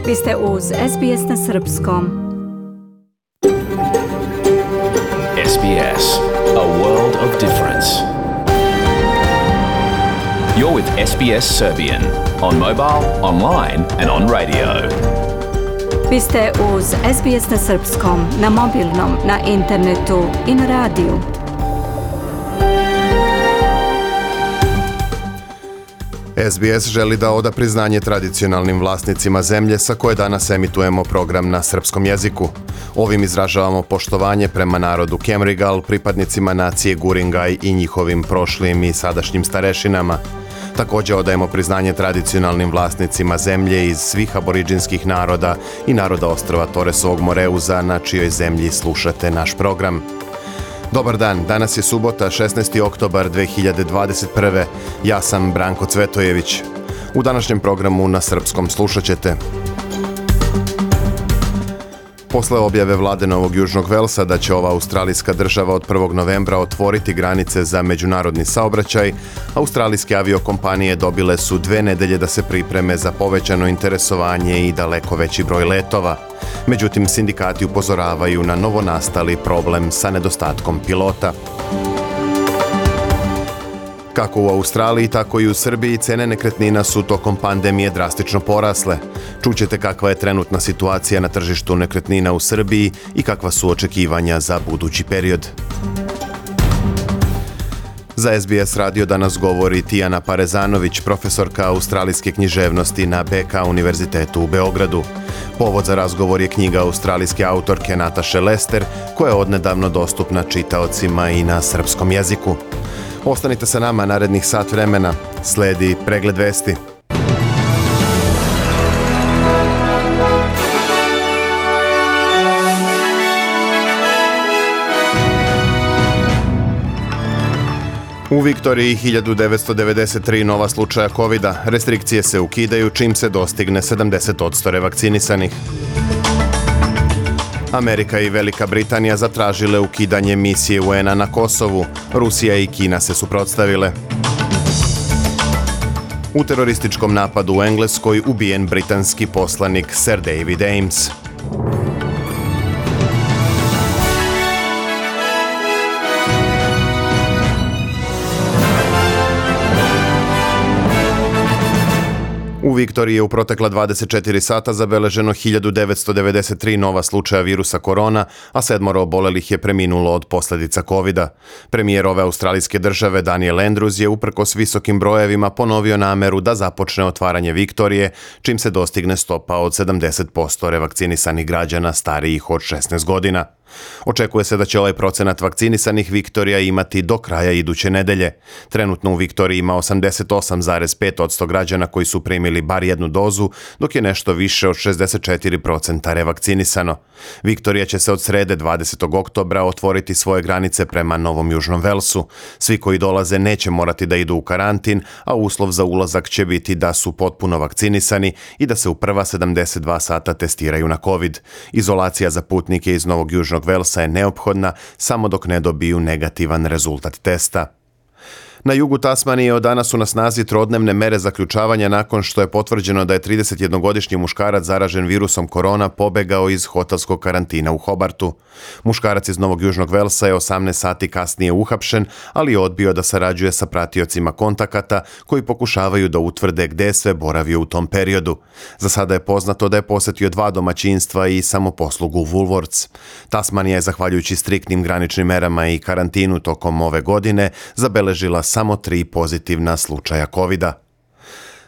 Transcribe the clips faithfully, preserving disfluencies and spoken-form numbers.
Vi ste uz S B S na srpskom. S B S, a world of difference. You're with S B S Serbian on mobile, online and on radio. Vi ste uz S B S na srpskom, na mobilnom, na internetu i na radiju. S B S želi da oda priznanje tradicionalnim vlasnicima zemlje sa koje danas emitujemo program na srpskom jeziku. Ovim izražavamo poštovanje prema narodu Kemrigal, pripadnicima nacije Guringaj i njihovim prošlim i sadašnjim starešinama. Također odajemo priznanje tradicionalnim vlasnicima zemlje iz svih aboriđinskih naroda i naroda ostrva Toresovog Moreuza na čijoj zemlji slušate naš program. Dobar dan, danas je subota, šesnaesti oktobar dve hiljade dvadeset prve. Ja sam Branko Cvetojević. U današnjem programu na srpskom slušat ćete: posle objave vlade Novog Južnog Velsa da će ova australijska država od prvog novembra otvoriti granice za međunarodni saobraćaj, australijske aviokompanije dobile su dve nedelje da se pripreme za povećano interesovanje i daleko veći broj letova. Međutim, sindikati upozoravaju na novonastali problem sa nedostatkom pilota. Kako u Australiji, tako i u Srbiji cene nekretnina su tokom pandemije drastično porasle. Čućete kakva je trenutna situacija na tržištu nekretnina u Srbiji i kakva su očekivanja za budući period. Za S B S radio danas govori Tijana Parezanović, profesorka australijske književnosti na B K univerzitetu u Beogradu. Povod za razgovor je knjiga australijske autorke Nataše Lester, koja je odnedavno dostupna čitaocima i na srpskom jeziku. Ostanite sa nama narednih sat vremena. Sledi pregled vesti. U Viktoriji hiljadu devetsto devedeset tri nova slučaja kovida. Restrikcije se ukidaju čim se dostigne sedamdeset posto revakcinisanih. Amerika i Velika Britanija zatražile ukidanje misije U N-a na Kosovu. Rusija i Kina se suprotstavile. U terorističkom napadu u Engleskoj ubijen britanski poslanik Sir David Ames. U Viktoriji je u protekla dvadeset četiri sata zabeleženo hiljadu devetsto devedeset tri nova slučaja virusa korona, a sedmoro obolelih je preminulo od posljedica kovida. Premijer ove australijske države Daniel Andrews je uprkos visokim brojevima ponovio nameru da započne otvaranje Viktorije, čim se dostigne stopa od sedamdeset posto revakcinisanih građana starijih od šesnaest godina. Očekuje se da će ovaj procenat vakcinisanih Viktorija imati do kraja iduće nedelje. Trenutno u Viktoriji ima osamdeset osam zarez pet posto građana koji su primili bar jednu dozu, dok je nešto više od šezdeset četiri posto revakcinisano. Viktorija će se od srede dvadesetog oktobra otvoriti svoje granice prema Novom Južnom Velsu. Svi koji dolaze neće morati da idu u karantin, a uslov za ulazak će biti da su potpuno vakcinisani i da se u prva sedamdeset dva sata testiraju na COVID. Izolacija za putnike iz Novog Južnog Velsa je neophodna samo dok ne dobiju negativan rezultat testa. Na jugu Tasmanije od danas su na snazi trodnevne mere zaključavanja nakon što je potvrđeno da je tridesetjednogodišnji muškarac zaražen virusom korona pobegao iz hotelskog karantina u Hobartu. Muškarac iz Novog Južnog Velsa je osamnaest sati kasnije uhapšen, ali je odbio da sarađuje sa pratiocima kontakata koji pokušavaju da utvrde gde je sve boravio u tom periodu. Za sada je poznato da je posetio dva domaćinstva i samoposlugu Woolworths. Tasmanija je, zahvaljujući striktnim graničnim merama i karantinu tokom ove godine, zabeležila samo tri pozitivna slučaja kovida.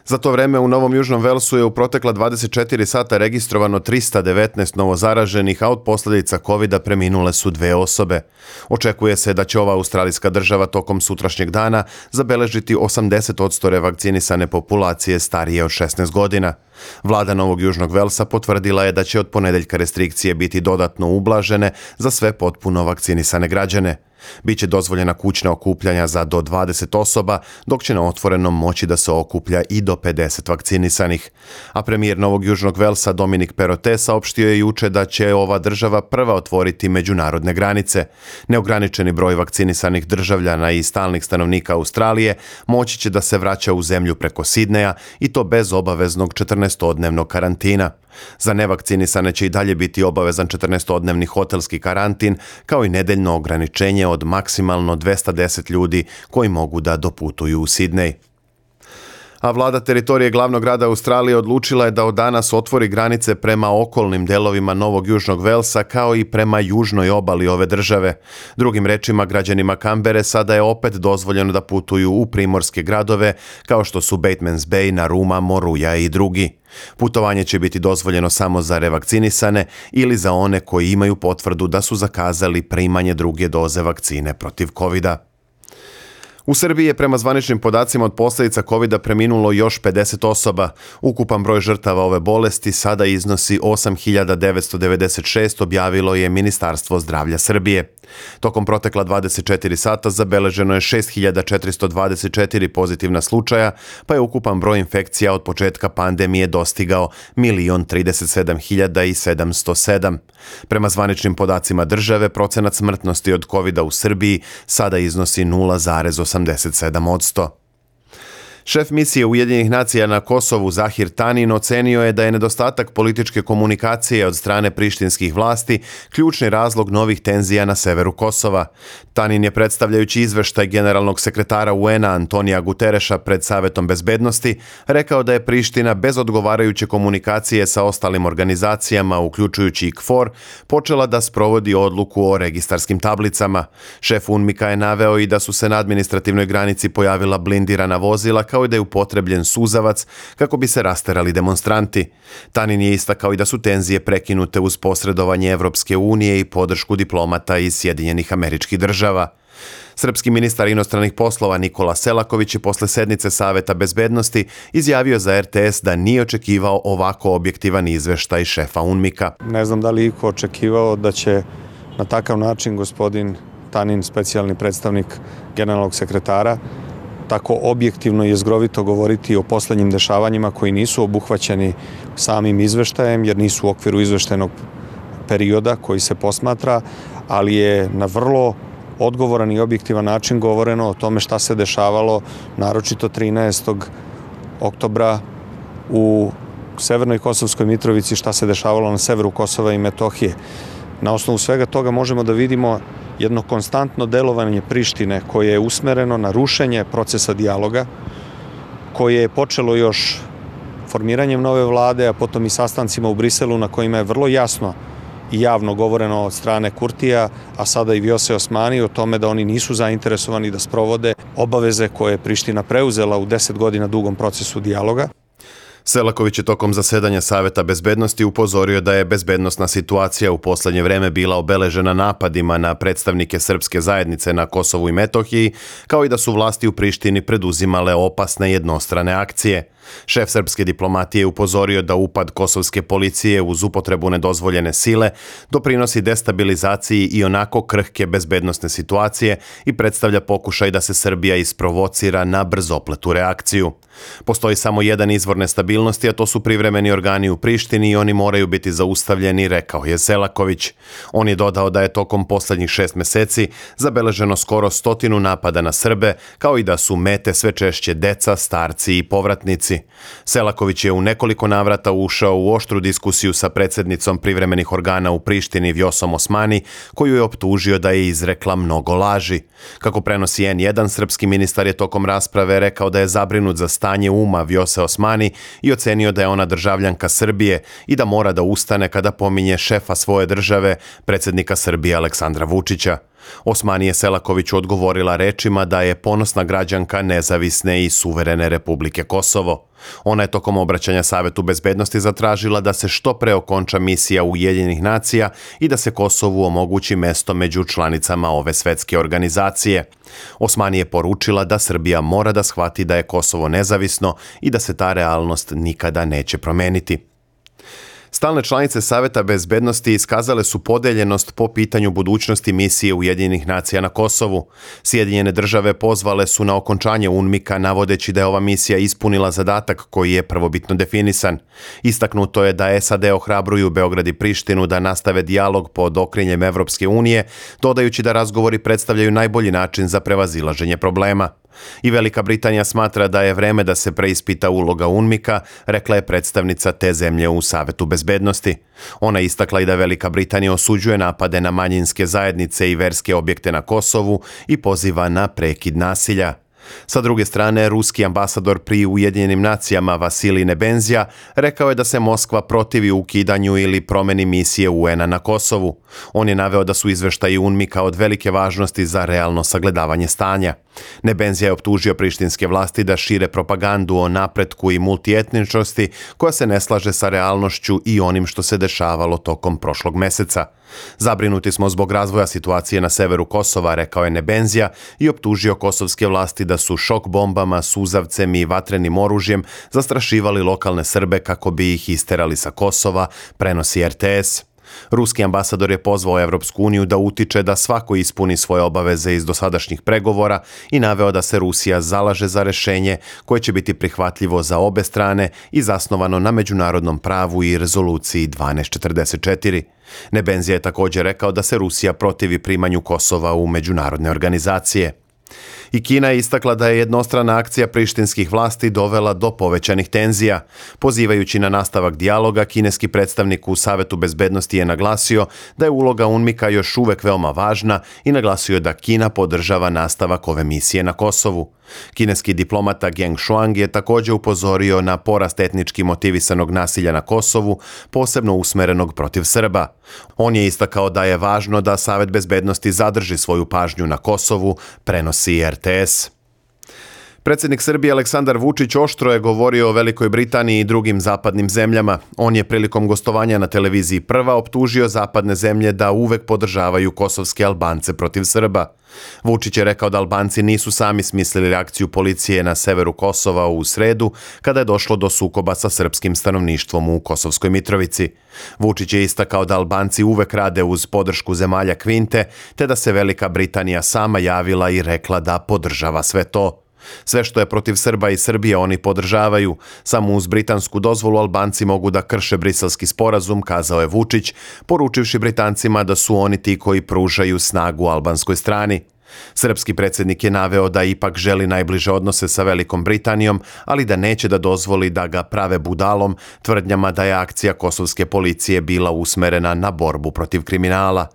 Za to vreme u Novom Južnom Velsu je u protekla dvadeset četiri sata registrovano trista devetnaest novozaraženih, a od posljedica kovida preminule su dve osobe. Očekuje se da će ova australijska država tokom sutrašnjeg dana zabeležiti osamdeset posto revakcinisane populacije starije od šesnaest godina. Vlada Novog Južnog Velsa potvrdila je da će od ponedeljka restrikcije biti dodatno ublažene za sve potpuno vakcinisane građane. Biće dozvoljena kućna okupljanja za do dvadeset osoba, dok će na otvorenom moći da se okuplja i do pedeset vakcinisanih. A premijer Novog Južnog Velsa Dominic Perrottet saopštio je juče da će ova država prva otvoriti međunarodne granice. Neograničeni broj vakcinisanih državljana i stalnih stanovnika Australije moći će da se vraća u zemlju preko Sidneja i to bez obaveznog četrnaestodnevnog karantina. Za nevakcinisane će i dalje biti obavezan četrnaestodnevni hotelski karantin, kao i nedeljno ograničenje od maksimalno dvesta deset ljudi koji mogu da doputuju u Sidnej. A vlada teritorije glavnog grada Australije odlučila je da od danas otvori granice prema okolnim delovima Novog Južnog Velsa kao i prema južnoj obali ove države. Drugim rečima, građanima Kambere sada je opet dozvoljeno da putuju u primorske gradove kao što su Batemans Bay, Narooma, Moruya i drugi. Putovanje će biti dozvoljeno samo za revakcinisane ili za one koji imaju potvrdu da su zakazali primanje druge doze vakcine protiv kovida. U Srbiji je prema zvaničnim podacima od posljedica kovida preminulo još pedeset osoba. Ukupan broj žrtava ove bolesti sada iznosi osam hiljada devetsto devedeset šest, objavilo je Ministarstvo zdravlja Srbije. Tokom protekla dvadeset četiri sata zabeleženo je šest hiljada četiristo dvadeset četiri pozitivna slučaja, pa je ukupan broj infekcija od početka pandemije dostigao milion trideset sedam hiljada sedamsto sedam. Prema zvaničnim podacima države, procenat smrtnosti od kovida u Srbiji sada iznosi nula zarez osamdeset sedam posto. Šef misije Ujedinjenih nacija na Kosovu Zahir Tanin ocenio je da je nedostatak političke komunikacije od strane prištinskih vlasti ključni razlog novih tenzija na severu Kosova. Tanin je, predstavljajući izveštaj generalnog sekretara U N-a Antonija Gutereša pred Savetom bezbednosti, rekao da je Priština bez odgovarajuće komunikacije sa ostalim organizacijama, uključujući i K F O R, počela da sprovodi odluku o registarskim tablicama. Šef UNMIK-a je naveo i da su se na administrativnoj granici pojavila blindirana vozila, kao i da je upotrebljen suzavac kako bi se rasterali demonstranti. Tanin je istakao i da su tenzije prekinute uz posredovanje Evropske unije i podršku diplomata iz Sjedinjenih Američkih Država. Srpski ministar inostranih poslova Nikola Selaković je posle sednice Saveta bezbednosti izjavio za R T S da nije očekivao ovako objektivan izveštaj šefa UNMIK-a. Ne znam da li iko očekivao da će na takav način gospodin Tanin, specijalni predstavnik generalnog sekretara, tako objektivno i jezgrovito govoriti o poslednjim dešavanjima koji nisu obuhvaćeni samim izveštajem, jer nisu u okviru izveštajnog perioda koji se posmatra, ali je na vrlo odgovoran i objektivan način govoreno o tome šta se dešavalo, naročito trinaestog oktobra u Severnoj Kosovskoj Mitrovici, šta se dešavalo na severu Kosova i Metohije. Na osnovu svega toga možemo da vidimo jedno konstantno delovanje Prištine koje je usmereno na rušenje procesa dijaloga, koje je počelo još formiranjem nove vlade, a potom i sastancima u Briselu na kojima je vrlo jasno i javno govoreno od strane Kurtija, a sada i Vjose Osmani, o tome da oni nisu zainteresovani da sprovode obaveze koje je Priština preuzela u deset godina dugom procesu dijaloga. Selaković je tokom zasedanja Saveta bezbednosti upozorio da je bezbednosna situacija u poslednje vreme bila obeležena napadima na predstavnike srpske zajednice na Kosovu i Metohiji, kao i da su vlasti u Prištini preduzimale opasne jednostrane akcije. Šef srpske diplomatije upozorio da upad kosovske policije uz upotrebu nedozvoljene sile doprinosi destabilizaciji i onako krhke bezbednosne situacije i predstavlja pokušaj da se Srbija isprovocira na brzopletu reakciju. Postoji samo jedan izvor nestabilnosti, a to su privremeni organi u Prištini i oni moraju biti zaustavljeni, rekao je Selaković. On je dodao da je tokom poslednjih šest meseci zabeleženo skoro stotinu napada na Srbe, kao i da su mete sve češće deca, starci i povratnici. Selaković je u nekoliko navrata ušao u oštru diskusiju sa predsjednicom privremenih organa u Prištini Vjosom Osmani, koju je optužio da je izrekla mnogo laži. Kako prenosi N jedan, srpski ministar je tokom rasprave rekao da je zabrinut za stanje uma Vjose Osmani i ocenio da je ona državljanka Srbije i da mora da ustane kada pominje šefa svoje države, predsjednika Srbije Aleksandra Vučića. Osmani je Selakoviću odgovorila rečima da je ponosna građanka nezavisne i suverene Republike Kosovo. Ona je tokom obraćanja Savetu bezbednosti zatražila da se što pre okonča misija Ujedinjenih nacija i da se Kosovu omogući mesto među članicama ove svetske organizacije. Osmani je poručila da Srbija mora da shvati da je Kosovo nezavisno i da se ta realnost nikada neće promeniti. Stalne članice Saveta bezbednosti iskazale su podeljenost po pitanju budućnosti misije Ujedinjenih nacija na Kosovu. Sjedinjene države pozvale su na okončanje UNMIK-a navodeći da je ova misija ispunila zadatak koji je prvobitno definisan. Istaknuto je da S A D ohrabruju Beograd i Prištinu da nastave dijalog pod okriljem Evropske unije, dodajući da razgovori predstavljaju najbolji način za prevazilaženje problema. I Velika Britanija smatra da je vreme da se preispita uloga UNMIK-a, rekla je predstavnica te zemlje u Savetu bezbednosti. Ona istakla i da Velika Britanija osuđuje napade na manjinske zajednice i verske objekte na Kosovu i poziva na prekid nasilja. Sa druge strane, ruski ambasador pri Ujedinjenim nacijama Vasilij Nebenzija rekao je da se Moskva protivi ukidanju ili promeni misije U N-a na Kosovu. On je naveo da su izveštaji UNMIK-a od velike važnosti za realno sagledavanje stanja. Nebenzija je optužio prištinske vlasti da šire propagandu o napretku i multietničnosti koja se ne slaže sa realnošću i onim što se dešavalo tokom prošlog meseca. Zabrinuti smo zbog razvoja situacije na severu Kosova, rekao je Nebenzija i optužio kosovske vlasti da su šok bombama, suzavcem i vatrenim oružjem zastrašivali lokalne Srbe kako bi ih isterali sa Kosova, prenosi R T S. Ruski ambasador je pozvao Evropsku uniju da utiče da svako ispuni svoje obaveze iz dosadašnjih pregovora i naveo da se Rusija zalaže za rešenje koje će biti prihvatljivo za obe strane i zasnovano na međunarodnom pravu i rezoluciji dvanaest četrdeset četiri. Nebenzija je također rekao da se Rusija protivi primanju Kosova u međunarodne organizacije. I Kina je istakla da je jednostrana akcija prištinskih vlasti dovela do povećanih tenzija. Pozivajući na nastavak dijaloga, kineski predstavnik u Savetu bezbednosti je naglasio da je uloga UNMIK-a još uvek veoma važna i naglasio da Kina podržava nastavak ove misije na Kosovu. Kineski diplomata Geng Shuang je također upozorio na porast etnički motivisanog nasilja na Kosovu, posebno usmerenog protiv Srba. On je istakao da je važno da Savet bezbednosti zadrži svoju pažnju na Kosovu, prenosi R T S. Predsjednik Srbije Aleksandar Vučić oštro je govorio o Velikoj Britaniji i drugim zapadnim zemljama. On je prilikom gostovanja na televiziji Prva optužio zapadne zemlje da uvek podržavaju kosovske Albance protiv Srba. Vučić je rekao da Albanci nisu sami smislili reakciju policije na severu Kosova u sredu, kada je došlo do sukoba sa srpskim stanovništvom u Kosovskoj Mitrovici. Vučić je istakao da Albanci uvek rade uz podršku zemalja Kvinte, te da se Velika Britanija sama javila i rekla da podržava sve to. Sve što je protiv Srba i Srbije oni podržavaju. Samo uz britansku dozvolu Albanci mogu da krše Briselski sporazum, kazao je Vučić, poručivši Britancima da su oni ti koji pružaju snagu albanskoj strani. Srpski predsjednik je naveo da ipak želi najbliže odnose sa Velikom Britanijom, ali da neće da dozvoli da ga prave budalom tvrdnjama da je akcija kosovske policije bila usmerena na borbu protiv kriminala.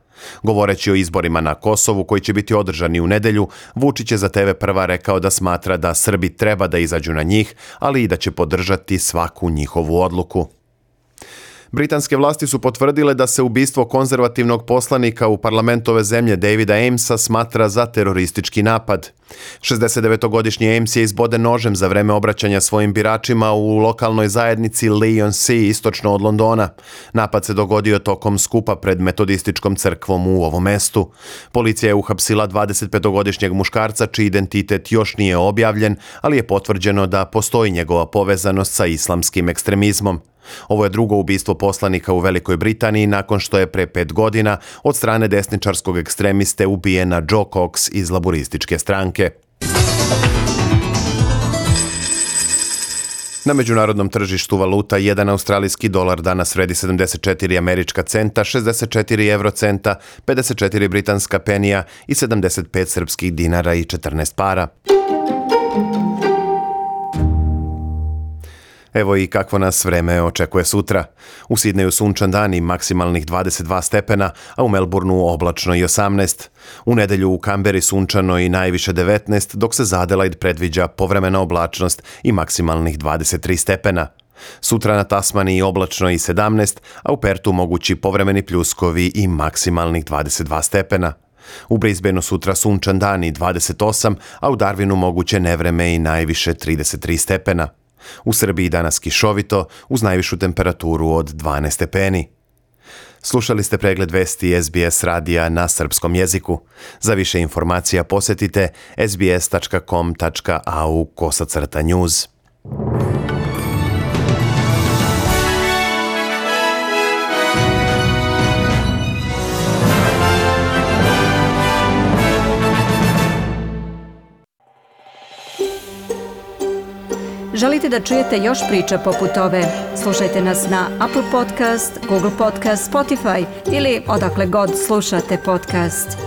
Govoreći o izborima na Kosovu koji će biti održani u nedelju, Vučić je za T V Prva rekao da smatra da Srbi treba da izađu na njih, ali i da će podržati svaku njihovu odluku. Britanske vlasti su potvrdile da se ubistvo konzervativnog poslanika u parlamentu ove zemlje Davida Amesa smatra za teroristički napad. šezdesetdevetogodišnji Ames je izboden nožem za vreme obraćanja svojim biračima u lokalnoj zajednici Leigh-on-Sea istočno od Londona. Napad se dogodio tokom skupa pred metodističkom crkvom u ovom mestu. Policija je uhapsila dvadesetpetogodišnjeg muškarca čiji identitet još nije objavljen, ali je potvrđeno da postoji njegova povezanost sa islamskim ekstremizmom. Ovo je drugo ubistvo poslanika u Velikoj Britaniji nakon što je pre pet godina od strane desničarskog ekstremiste ubijena Joe Cox iz laborističke stranke. Na međunarodnom tržištu valuta jedan australijski dolar danas vredi sedamdeset četiri američka centa, šezdeset četiri evrocenta, pedeset četiri britanska penija i sedamdeset pet srpskih dinara i četrnaest para. Evo i kakvo nas vreme očekuje sutra. U Sidneju sunčan dan i maksimalnih dvadeset dva stepena, a u Melbourneu oblačno i osamnaest. U nedelju u Kamberi sunčano i najviše devetnaest, dok se za Adelaide predviđa povremena oblačnost i maksimalnih dvadeset tri stepena. Sutra na Tasmaniji oblačno i sedamnaest, a u Pertu mogući povremeni pljuskovi i maksimalnih dvadeset dva stepena. U Brisbaneu sutra sunčan dan i dvadeset osam, a u Darwinu moguće nevreme i najviše trideset tri stepena. U Srbiji danas kišovito, uz najvišu temperaturu od dvanaest stepeni. Slušali ste pregled vesti S B S radija na srpskom jeziku. Za više informacija posjetite s b s tačka com tačka a u kosacrta news. Želite da čujete još priča poput ove? Slušajte nas na Apple Podcast, Google Podcast, Spotify ili odakle god slušate podcast.